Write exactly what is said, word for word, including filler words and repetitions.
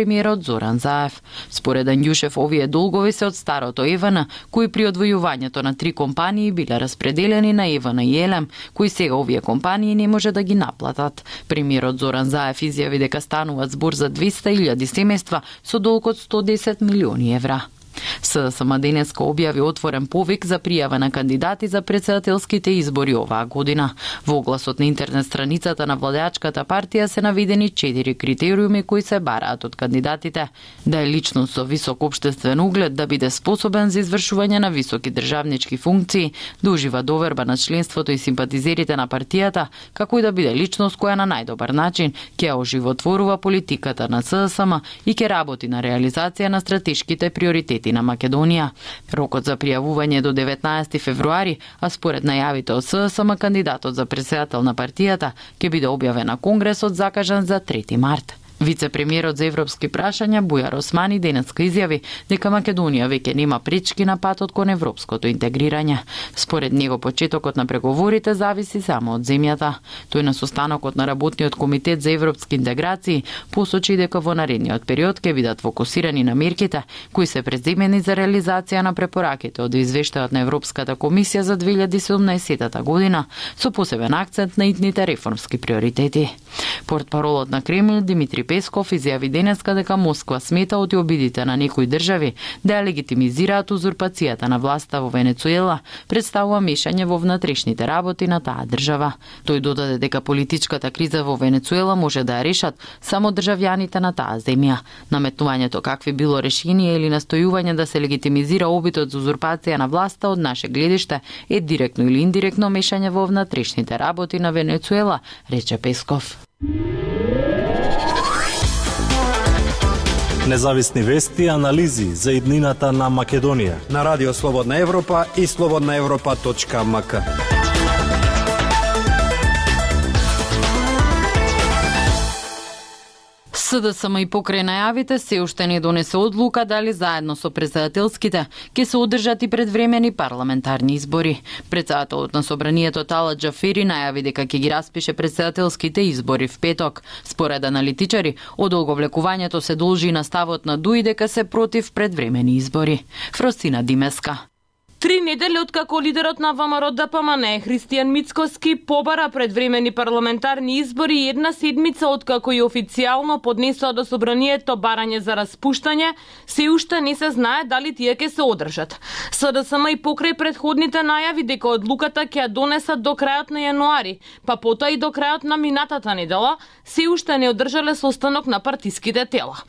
премиерот Зоран Заев. Според Анѓушев, овие долгови се од старото ЕВН, кои при одвојувањето на три компании биле распределени на ЕВН и Елем, кои сега овие компании не може да ги наплатат. Премиерот Зоран Заев изјави дека стануваат збор за двеста илјади семејства со долг од сто десет милиони евра. СДСМ денеска објави отворен повик за пријава на кандидати за претседателските избори оваа година. Во огласот на интернет страницата на владеачката партија се наведени четири критериуми кои се бараат од кандидатите: да е личност со висок општествен углед, да биде способен за извршување на високи државнички функции, да ужива доверба на членството и симпатизерите на партијата, како и да биде личност која на најдобар начин ќе оживотворува политиката на СДСМ и ќе работи на реализација на стратешките приоритети на Македонија. Рокот за пријавување до деветнаесети февруари, а според најавите од СДСМ, кандидатот за претседател на партијата ќе биде објавен на Конгресот закажан за трети март. Вице-премиерот за европски прашања Бујар Османи денеска изјави дека Македонија веќе нема пречки на патот кон европското интегрирање. Според него почетокот на преговорите зависи само од земјата. Тој на состанокот на работниот комитет за европски интеграции посочи дека во наредниот период ќе бидат фокусирани на мерките кои се преземени за реализација на препораките од извештајот на Европската комисија за две илјади и седумнаесета година, со посебен акцент на итните реформски приоритети. Портпаролот на Кремљ Димитри Песков изјави денеска дека Москва смета од обидите на некои држави да ја легитимизираат узурпацијата на власта во Венецуела, представува мешање во внатрешните работи на таа држава. Тој додаде дека политичката криза во Венецуела може да ја решат само државјаните на таа земја. Наметнувањето какви било решение или настојување да се легитимизира обидот за узурпација на власта од наше гледиште е директно или индиректно мешање во внатрешните работи на Венецуела, рече Песков. Независни вести и анализи за иднината на Македонија на Радио Слободна Европа и слободна европа точка ем ка. СДСМ и покрај најавите се уште не донесе одлука дали заедно со претседателските ќе се одржат и предвремени парламентарни избори. Претседателот на собранието Талат Џафери најави дека ќе ги распише претседателските избори в петок. Според аналитичари, одолговлекувањето се должи на ставот на ДУИ дека се против предвремени избори. Фросина Димеска. Три недели откако лидерот на ВМРО Д П М Н Христијан Мицкоски побара предвремени парламентарни избори и една седмица откако и официјално поднесоа до собранието барање за распуштање, се уште не се знае дали тие ќе се одржат. СДСМ и покрај предходните најави дека одлуката ќе ја донесат до крајот на јануари, па потоа и до крајот на минатата недела, се уште не одржале состанок на партиските тела.